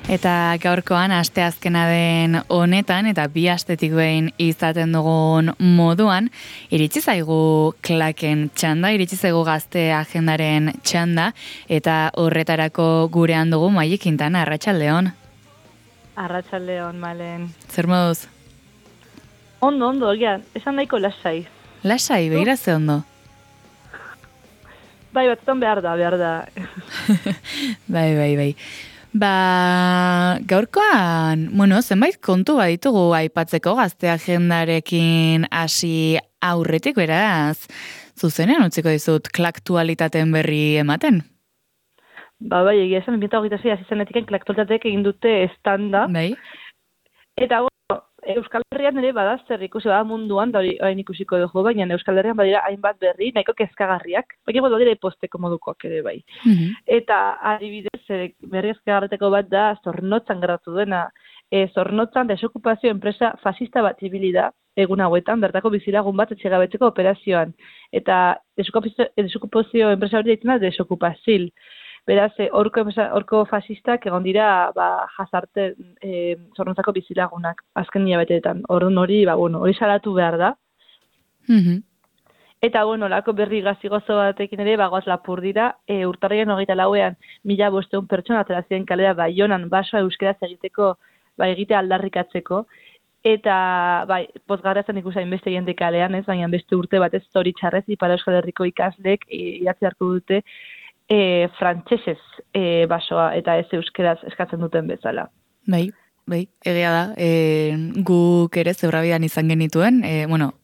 Eta gaurkoan asteazkena den honetan eta bi astetik behin izaten dugun moduan, iritsi zaigu klaken txanda, iritsi zaigu gazte agendaren txanda, eta horretarako gurean dugu Maili Quintana. Arratsaldeon. Arratsaldeon, Malen. Zer moduz? Ondo, esan nahiko lasai. Lasai, begira ze ondo. Bai, batzutan behar da. Bai. Gaurkoan, zenbait kontu baditugu aipatzeko gazte agendarekin hasi aurretik, beraz, zuzenean utziko dizut klaktualitateen berri ematen. Bai, egia esan, 2026 hasi zenetiken klaktualitateek egin dute estanda. Bai. Eta, Euskal Herrian ere badazter ikusi munduan, da hori ikusiko dugu, baina Euskal Herrian badira hainbat berri, nahiko kezkagarriak, baina badira posteko modukoak ere bai. Eta adibidez, berri kezkagarreteko bat da, Zornotzan gertatu dena. Zornotzan desokupazio enpresa fasista bat ibili da, egun hauetan, bertako bizilagun bat etxegabetzeko operazioan. Eta desokupazio enpresa hori deitzen da desokupazil. Beraz, horko fasistak egon dira jazarte Zornotzako bizilagunak, azken hilabeteetan. Orduan hori salatu behar da. Eta, lako berri gazigozo batekin ere, bagoaz lapur dira, urtarrien 24ean 1.500 pertsona atera ziren kalera Baionan basoa euskeraz egiteko, egite aldarrikatzeko. Eta, pozgarria zen ikusi hainbeste jende kalean, baina beste urte batez zoritxarrez, Ipar Euskal Herriko ikasleek idatzi hartu dute frantsesez basoa eta ez euskeraz eskatzen duten bezala. Bai, egia da. Guk ere Zebrabidan izan genituen,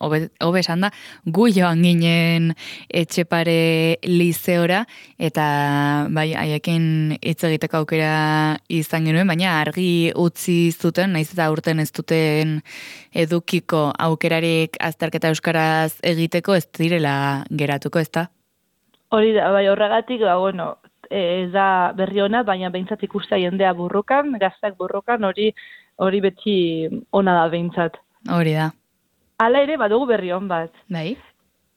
hobe esan da, gu joan ginen Etxepare lizeora, eta haiekin hitz egiteko aukera izan genuen, baina argi utzi zuten, naiz eta urten ez duten edukiko aukerarik azterketa euskaraz egiteko ez direla geratuko, ez da? Hori da, horregatik, ez da berri ona, baina behintzat ikustea jendea burrukan, gazteak burrukan, hori beti ona da behintzat. Hori da. Hala ere, badugu berri on bat. Bai.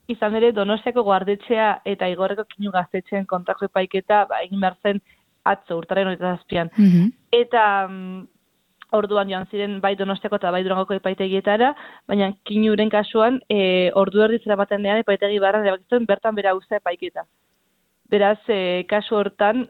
Izan ere, Donostiako guardetxea eta Igorreko Kinu gaztetxeen kontrako epaiketa, egin behar zen atzo, urtarren 27an. Eta orduan joan ziren bai Donostiako eta bai Durangoko epaitegietara, baina Kinuren kasuan, ordu erdi zera baten dean epaitegi barran erabakitzen bertan bera usta epaiketa. Beraz, kasu hortan,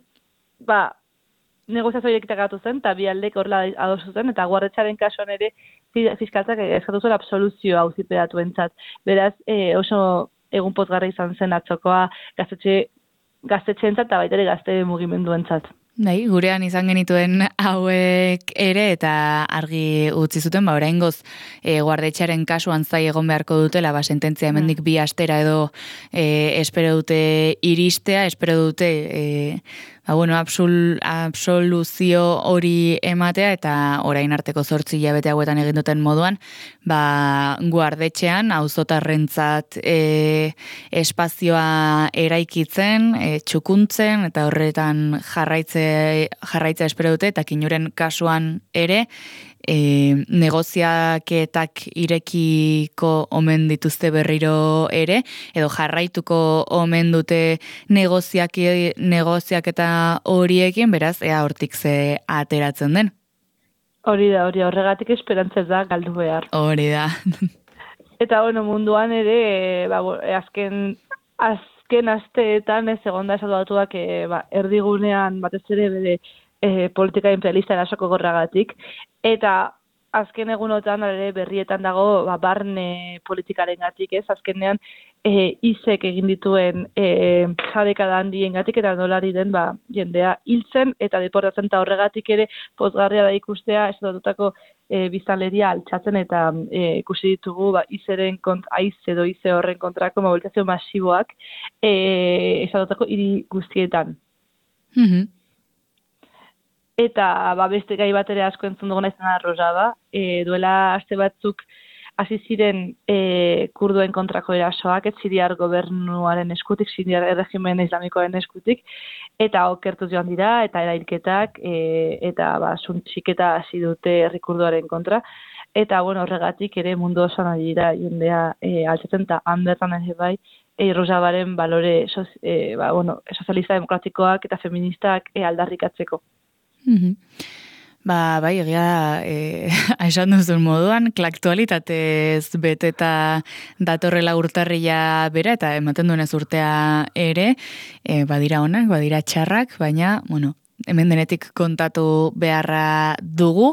negoziazio horiek gatu zen, eta bi aldek horrela adosu zen, eta guardetxaren kasuan ere fiskaltzak eskatu zuen absoluzioa auziperatuentzat. Beraz, oso egun pozgarra izan zen atzokoa gaztetxeentzat eta baita ere gazte mugimenduentzat. Bai, gurean izan genituen hauek ere eta argi utzi zuten, oraingoz guardetxearen kasuan zai egon beharko dutela, sententzia hemendik 2 astera edo espero dute iristea, espero dute absoluzio hori ematea eta orain arteko 8 hilabete hauetan egin duten moduan, guardetxean auzotarrentzat espazioa eraikitzen, txukuntzen eta horretan jarraitza espero dute, eta Kinuren kasuan ere negoziaketak irekiko omen dituzte berriro ere, edo jarraituko omen dute negoziaketa horiekin, beraz, ea hortik ze ateratzen den. Hori da, horregatik esperantzez da galdu behar. Hori da. Eta munduan ere, azken asteetan ez egon da esatuatuak erdigunean batez ere bere politika imperialista erasoko gorragatik, eta azken egunotan ere berrietan dago barne politikaren gatik, azkenean izek egin dituen jadekada handien gatik, eta nolari den jendea hiltzen eta deportatzen, eta horregatik ere pozgarria da ikustea estatutako biztanleria altxatzen, eta ikusi ditugu izeren edo ize horren kontrako mobilizazio masiboak estatutako hiri guztietan. Eta beste gai bat ere asko entzun duguna izan arrozaba, duela aste batzuk hasi ziren kurduen kontrako erasoak, Siriar gobernuaren eskutik, Siriar erregimen islamikoaren eskutik, eta okertuz joan dira, eta erailketak, eta suntxiketa hasi dute herri kurduaren kontra, eta horregatik ere mundu osoan ari dira jendea altzatzen, eta hanbertan ere bai, Rojavaren balore sozialista demokratikoak eta feministak aldarrikatzeko. Bai, egia da, esan duzun moduan, klaktualitatez beteta datorrela urtarrila bera, eta ematen duenez urtea ere, badira onak, badira txarrak, baina, bueno, hemen denetik kontatu beharra dugu.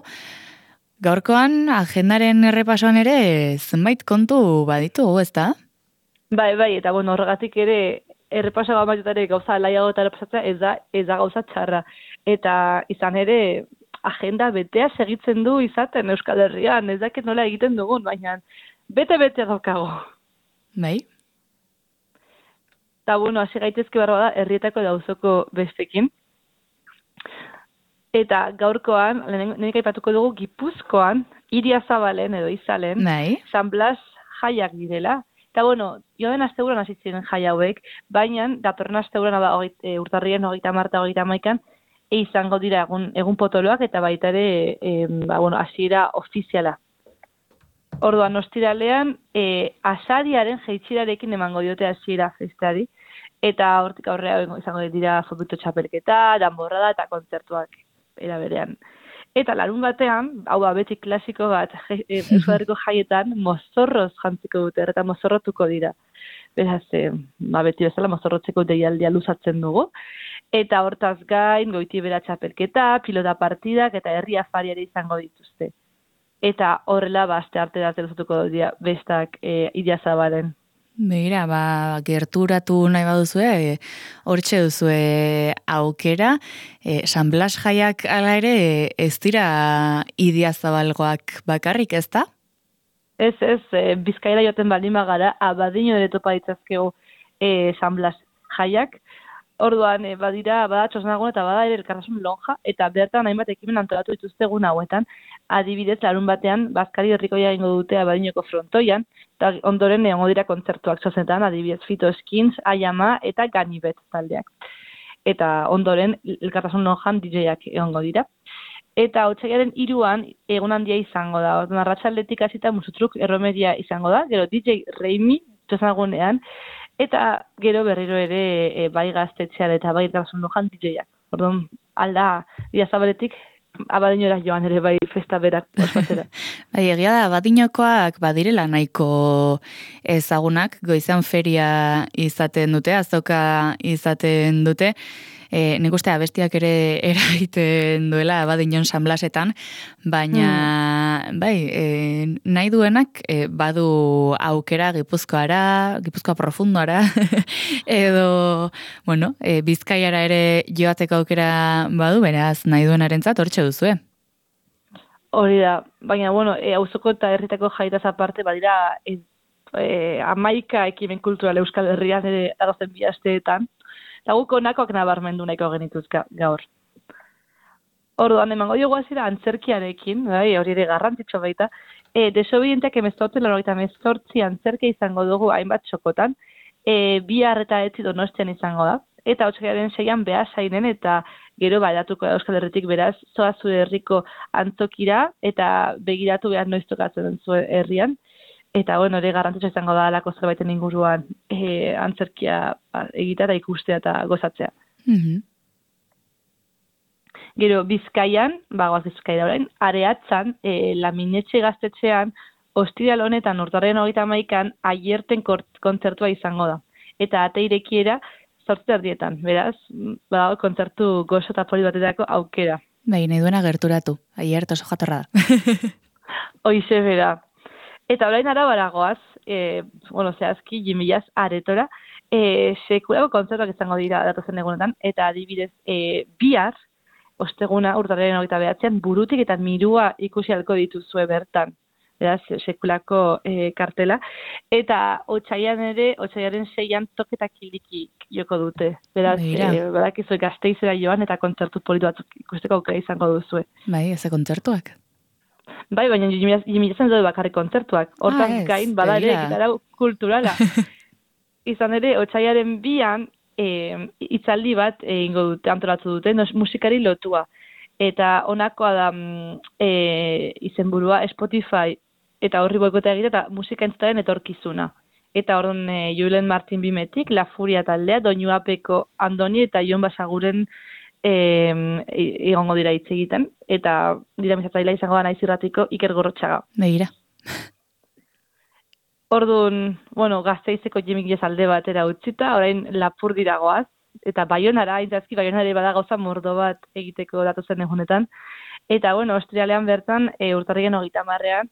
Gaurkoan, agendaren errepasoan ere, zenbait kontu baditugu, ezta? Bai, eta bueno, horregatik ere, errepasoa baitutare gauza laiago eta errepasatzea ez da gauza txarra. Eta izan ere, agenda betea segitzen du izaten Euskal Herrian, ez dakit nola egiten dugun, baina bete daukago. Bai? Eta bueno, hasi gaitezke barba da, herrietako eta auzoko bestekin. Eta gaurkoan, lehenik aipatuko dugu, Gipuzkoan, Iriazabalen edo Izalen, Bai? San Blas jaiak direla. Eta bueno, joan asteburuan hasi ziren jai hauek, baina datorren asteburuan urtarrien 30 eta 31 izango dira egun potoloak eta baita ere hasiera ofiziala. Orduan ostiralean asariaren jaitsirarekin emango diote hasiera festari eta hortik aurrera izango dira fobito txapelketa, danborrada eta kontzertuak era berean. Eta larun batean, hau da beti klasiko bat, Euskal Herriko jaietan mozorroz jantziko dute, eta mozorrotuko dira. Beraz, beti bezala mozorrotzeko deialdia luzatzen dugu. Eta hortaz gain, goiti bera txapelketa, pilota partidak eta herri afariare izango dituzte. Eta horrela, aste arte da luzatuko dira bestak Iriazabalen. Begira, gerturatu nahi baduzue, hortxe duzue aukera, San Blas jaiak ala ere ez dira Idiazabalgoak bakarrik, ez da? Ez, Bizkaira joaten baldin bagara, Abadiño ere topa ditzazkegu San Blas jaiak. Orduan, bada txosnagun eta bada ere elkartasun lonja, eta bertan hainbat ekimen antolatu dituzte egun hauetan, adibidez larun batean, Bazkari herrikoia egingo dute Abadiñoko frontoian, eta ondoren egongo dira kontzertuak zozetan, adibidez Fito Skins, Ayama eta Ganibet taldeak. Eta ondoren, elkartasun lonjan DJak egongo dira. Eta otsailaren 3an egun handia izango da. Orduan, arratsaldetik hasita musutruk erromeria izango da, gero DJ Reimi txosnagunean, eta gero berriro ere bai gaztetxean eta bai elkartasun lonjan DJak. Orduan, alda, Idiazabaletik Abadiñora joan ere bai festa berak ospatzera. Bai, egia da, Abadiñokoak badirela nahiko ezagunak, goizan feria izaten dute, azoka izaten dute, nik uste abestiak ere eragiten duela Abadiñon San Blasetan, baina nahi duenak badu aukera Gipuzkoa profundoara, edo, Bizkaiara ere joateko aukera badu, beraz, nahi duenarentzat hortxe duzue. Hori da, baina, auzoko eta herritako jaitaz aparte, badira 11 ekimen kultural Euskal Herrian ere adozen 2 asteetan, eta guk honakoak nabarmendu nahiko genituzka gaur. Orduan, emango diogu hasiera antzerkiarekin, hori ere garrantzitsu baita, desobedienteak 1998 antzerkia izango dugu hainbat txokotan, bihar eta etzi Donostian izango da, eta otsailaren 6an Beasainen eta gero badatuko da Euskal Herritik beraz, zoa zure herriko antzokira eta begiratu behar noiz tokatzen zuen herrian. Eta, hori garrantzitsu izango da alako zerbaiten inguruan antzerkia egitea eta ikustea eta gozatzea. Gero, Bizkaian, goaz Bizkaira orain, Areatzan, Laminetxe gaztetxean, ostiral honetan urtarrien 31an aierten kontzertua izango da. Eta ate irekiera 8:30, beraz, kontzertu gozo eta poli batetako aukera. Bai, nahi duena gerturatu, aiert oso jatorra da. Hoize bera. Eta orain Arabara goaz, zehazki, Jimilaz aretora, sekulako kontzertuak izango dira datozen egunetan, eta adibidez, bihar, osteguna urtarrien 29an, Burutik eta Mirua ikusi halko dituzue bertan. Beraz, sekulako kartela. Eta otsailaren 6an Toketa Kiliki joko dute. Beraz, badakizu Gasteizera joan eta kontzertu politu batzuk ikusteko aukera izango duzue. Bai, ez kontzertuak. Bai, baina Jimilazan dut bakarrik kontzertuak. Hortaz gain, bada ere, ekitara kulturala. Izan ere, otsailaren 2an hitzaldi bat egingo dute, antolatu dute, musikari lotua. Eta honakoa da izenburua Spotify eta horri boikota egite eta musika entzutaren etorkizuna. Eta orduan Julen Martin Bimetik, La Furia taldea, Doinu Apeko Andoni eta Jon Basaguren egongo dira hitz egiten, eta dinamizatzailea izango da Naiz Irratiko Iker Gorrotxaga. Begira. Orduan, Gasteizeko Jimik alde batera utzita, orain Lapurdira goaz, eta Baionara, aintzazki Baionare bada gauza mordo bat egiteko datozen egunetan. Eta, Austrialean bertan, urtarriaren 30ean,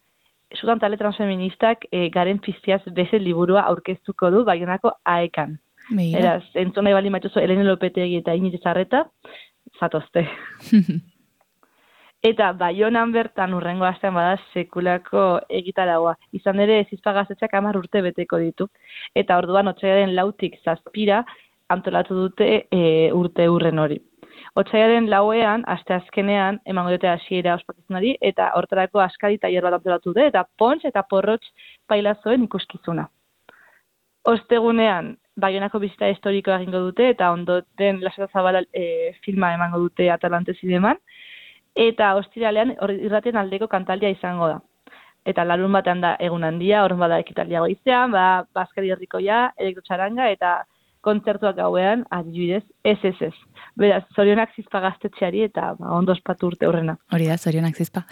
Sudan Talde Transfeministak Garen Piztiaz bezen liburua aurkeztuko du Baionako AEkan. Eraz, entzun nahi baldin baituzu Elene Lopetegi eta Iñiz Zarreta, zatozte. Eta Baionan bertan urrengo astean bada sekulako egitaragua. Izan ere, Zizpa Gaztetxeak 10 urte beteko ditu. Eta orduan, otsailaren 4tik 7 antolatu dute urte urren hori. Otsailaren 4ean, asteazkenean, emango dute hasiera ospakizunari, eta hortarako askari tailer bat antolatu dute, eta pontx eta porrotx pailazoen ikuskizuna. Ostegunean, Baionako bizita historikoa egingo dute, eta ondoten Lasota Zabala filma emango dute Atalante Zineman, eta ostiralean irratien aldeko kantaldia izango da. Eta larun batean da egun handia, horren bada ekitaldia goizean, Baskari Herrikoia, elektrotxaranga, eta kontzertuak gauean, adibidez, ez. Beraz, zorionak Zizpa Gaztetxeari eta ondo ospatu urte horrena. Hori da, zorionak Zizpa.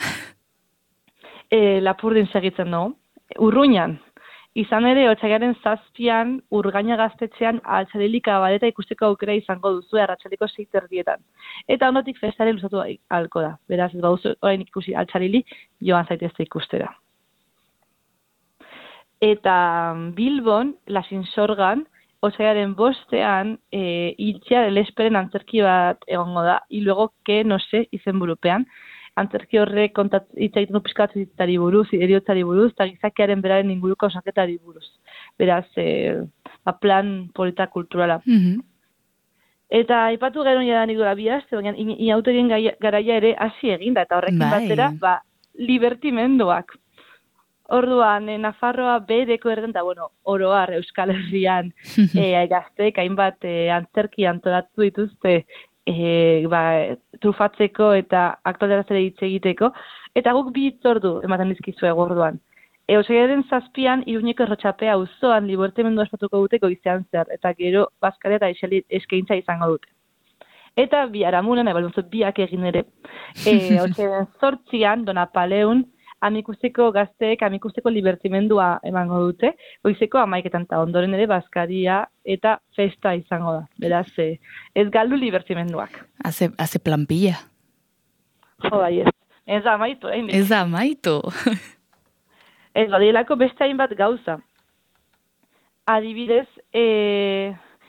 Lapurdin segitzen dugu. Urruñan, izan ere, otsailaren 7an, Urgaina Gaztetxean altxarilika badeta ikusteko aukera izango duzu arratsaleko 6:30. Eta ondotik festare luzatu ahalko da. Beraz, ez baduzu orain ikusi altxarili, joan zaitezte ikustera. Eta Bilbon, Lasinsorgan, otsailaren 5ean, Iltxea del Esperen antzerki bat egongo da, y luego que no sé izenburupean, antzerki horrek hitz egiten du pizkatzari buruz, heriotzari buruz, eta gizakiaren beraren inguruko osaketari buruz. Beraz, plan polita kulturala. Eta aipatu gero jadanik dura bihazte, baina inauterien garaia ere hasi eginda, eta horrekin batera, libertimenduak. Orduan, Nafarroa bereko erden, eta oroar Euskal Herrian gazteek hainbat antzerki antolatu dituzte trufatzeko eta aktualitatea hitz egiteko, eta guk 2 hitzordu ematen dizkizue orduan. Otsailaren 7an, Iruñeko Errotxapea auzoan libertimendua ospatuko dute goizean zer, eta gero Baskaria eta eskaintza izango dute. Eta biharamunen, biak egin ere, otsailaren 8an, Donapaleun, amikusteko gazteek, amikusteko libertimendua emango dute, goizeko 11etan eta ondoren ere Baskaria eta festa izango da. Beraz, ez galdu libertimenduak. Haze planpilla. Jo, bai ez. Ez da amaitu, Ez da amaitu. Ez badielako beste hainbat gauza. Adibidez,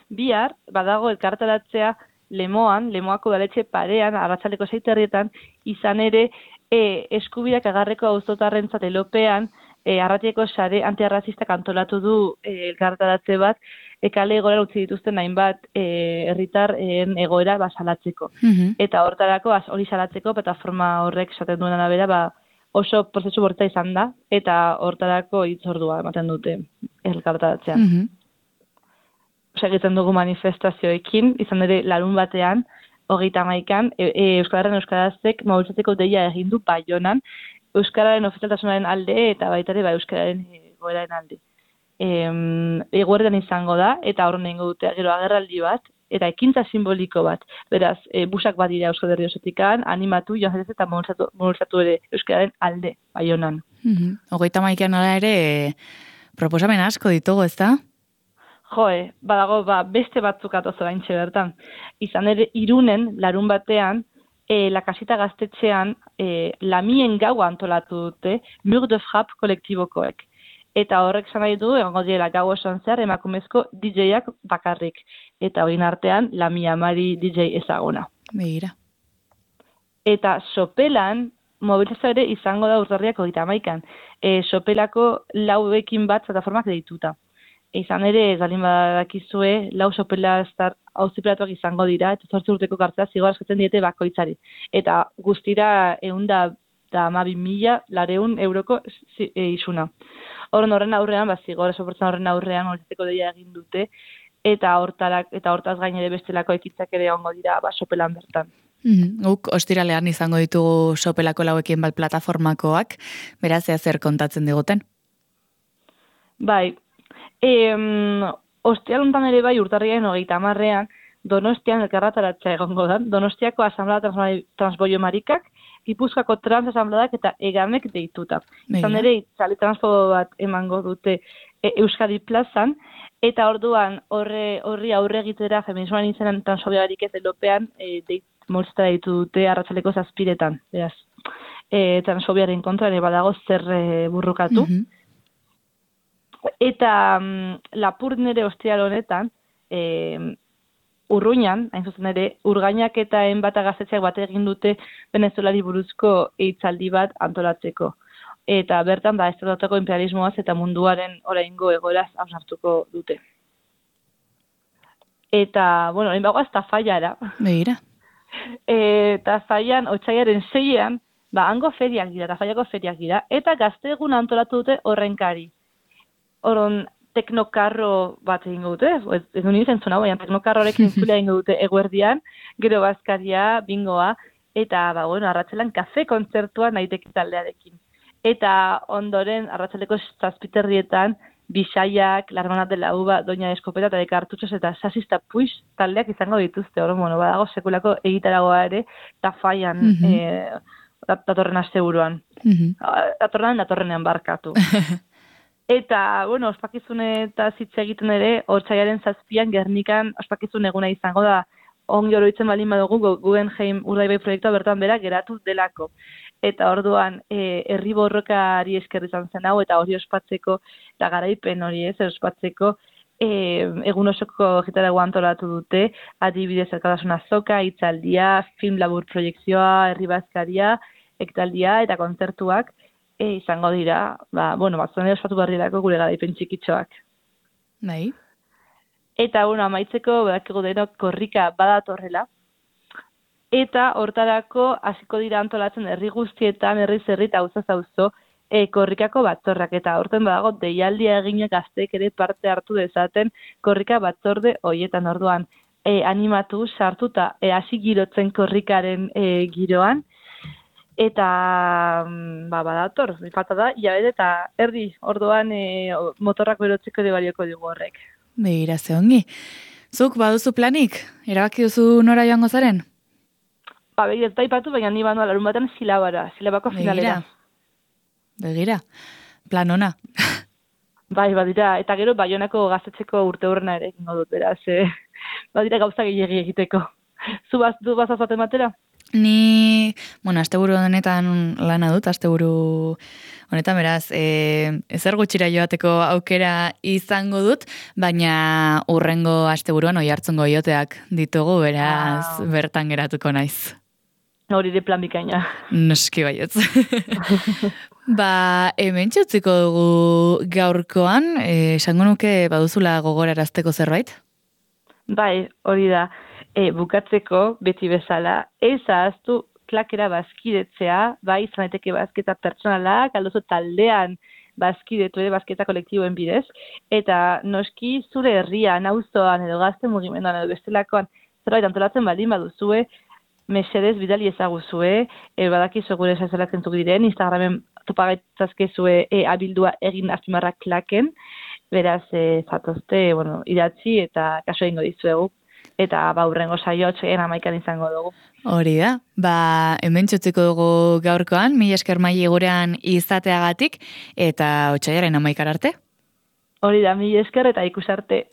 bihar, badago elkartaratzea Lemoako udaletxe parean, arratsaldeko 6:30, izan ere, eskubideak agarreko auzotarrentzat Elopean, Arratiako sare antiarrazistak antolatu du elkartaratze bat, kale egoera utzi dituzten hainbat herritarren egoera salatzeko. Eta hortarako, hori salatzeko, plataforma horrek esaten duen arabera, oso prozesu bortza izan da, eta hortarako hitzordua ematen dute elkartaratzean. Segitzen dugu manifestazioekin, izan ere larun batean, 31an, Euskararen Euskarazek mobilizatzeko deia egin du Baionan, Euskararen ofizialtasunaren alde eta baita ere Euskararen egoeraren alde. Eguerden izango da, eta horren egingo dute gero agerraldi bat, eta ekintza simboliko bat. Beraz, busak bat dira Euskal Herri osotikan, animatu, joan zaitez eta mobilizatu ere Euskararen alde Baionan. 31an ala ere proposamen asko ditugu, ez da? Badago, beste batzuk atozo baintxe bertan. Izan ere, Irunen, larun batean, La Casita Gaztetxean, Lamien gaua antolatu dute, Mur de Frappe kolektibokoek. Eta horrek esan nahi du, egongo direla gau osoan zehar, emakumezko DJ-ak bakarrik. Eta horien artean, Lamia Mari DJ ezaguna. Begira. Eta Sopelan, mobilizazio ere izango da urtarriak 31an. Sopelako 4ekin bat plataformak deituta. Izan ere, ez balin badakizue, 4 Sopela auzipelatuak izango dira, eta 8 urteko kartzea zigor askatzen diete bakoitzari. Eta guztira 112.400 euroko isuna. Horren aurrean, zigor soportzen horren aurrean, mobilizatzeko deia egin dute, eta hortaz gain ere bestelako ekitzak ere egongo dira Sopelan bertan. Guk ostiralean izango ditugu Sopelako 4ekin bat plataformakoak, beraz zer kontatzen diguten? Bai, ostialuntan ere bai urtarriaren 30ean, Donostian elkarrataratzea egongo da. Donostiako Asamblea Transboio Marikak, Gipuzkoako Trans Asambleak eta Egamek deituta. Izan ere, itzali transfobo bat emango dute Euskadi plazan, eta orduan horri aurre egitera feminismoan izenan transfobiarik ez elopean moltzita ditu dute arratsaleko 7:00. Beraz, transfobiaren kontra ere badago zer burrukatu. Eta Lapurdin ere ostiral honetan, Urruñan, hain zuzen ere, Urgainak eta Enbata gaztetxeak bat egin dute Venezuelari buruzko hitzaldi bat antolatzeko. Eta bertan, estatutako imperialismoaz eta munduaren oraingo egoeraz hausnartuko dute. Eta, bueno, orain bagoaz Tafallara. Begira. Tafallan, otsailaren 6-an, hango feriak dira, Tafallako feriak dira, eta gazte egun antolatu dute horrenkari. Horon, teknokarro bat egingo dute, ez du nintzen zuna, baina teknokarrorekin zulia egingo dute eguerdian, gero bazkaria, bingoa, eta, arratsaldean kafe kontzertua naiteke taldearekin. Eta ondoren, arratsaleko 7:00 Bisaiak, La Hermana de la Uva, Doña Eskopeta eta de Kartutxos eta Sasista Puix taldeak izango dituzte. Badago sekulako egitaragoa ere, Tafallan datorren asteburuan. Datorrenean barkatu. Eta, ospakizunetaz hitz egiten ere, otsailaren 7-an Gernikan ospakizun eguna izango da, ongi oroitzen baldin badugu Guggenheim Urdaibai proiektua bertan bera geratu delako. Eta orduan, herri borrokari esker izan zen hau, eta hori ospatzeko, eta garaipen hori ospatzeko, egun osoko egitaragoa antolatu dute, adibidez elkartasun azoka, hitzaldia, film labur proiekzioa, herri bazkaria, ekitaldia eta kontzertuak, izango dira, batzuen ospatu barrielako gure garaipen txikitxoak. Bai. Eta, amaitzeko, badakigu denok korrika badatorrela, eta hortarako hasiko dira antolatzen herri guztietan, herriz herri eta auzaz auzo, korrikako batzorrak, eta horten badago deialdia eginak gazteek ere parte hartu dezaten korrika batzorde horietan orduan. Animatu, sartuta, hasi girotzen korrikaren giroan, eta badator, falta da, jabet eta erdi, orduan motorrak berotzeko ere balioko digu horrek. Begira, ze ongi. Zuk baduzu planik? Erabaki duzu nora joango zaren? Begira, ez daipatu, baina ni bandoa larun batean silabako finalera. Begira, plan ona. Badira, eta gero Baionako gaztetxeko urte horrena ere egingo dut, beraz, badira gauza gehiagi egiteko. Zu bazazaten batera? Ni, asteburu honetan lana dut, asteburu honetan, beraz, ezer gutxira joateko aukera izango dut, baina urrengo asteburuan Oiartzungo joteak ditugu, beraz, bertan geratuko naiz. Hori de plan bikaina. Noski baietz. Hemen txutziko dugu gaurkoan, esango nuke baduzula gogorarazteko zerbait? Bai, hori da. Bukatzeko, beti bezala, ez ahaztu klakera bazkidetzea, bai, izan daiteke bazketa pertsonalak, aldozu taldean bazkidetu ere, bazketa kolektiboen bidez, eta noski zure herrian, auzoan edo gazte mugimenduan edo bestelakoan zerbait antolatzen baldin baduzue, mesedez bidali ezaguzue, badakizu gure esazelak zentzuk diren, Instagramen topagaitazkezue abildua egin azpimarrak klaken, beraz, zatozte, idatzi eta kaso egingo dizuegu. Eta urrengo saio 11:00 izango dugu. Hori da, hemen txutziko dugu gaurkoan, mila esker Maile gurean izateagatik, eta 11:00 arte. Hori da, mila esker eta ikusarte.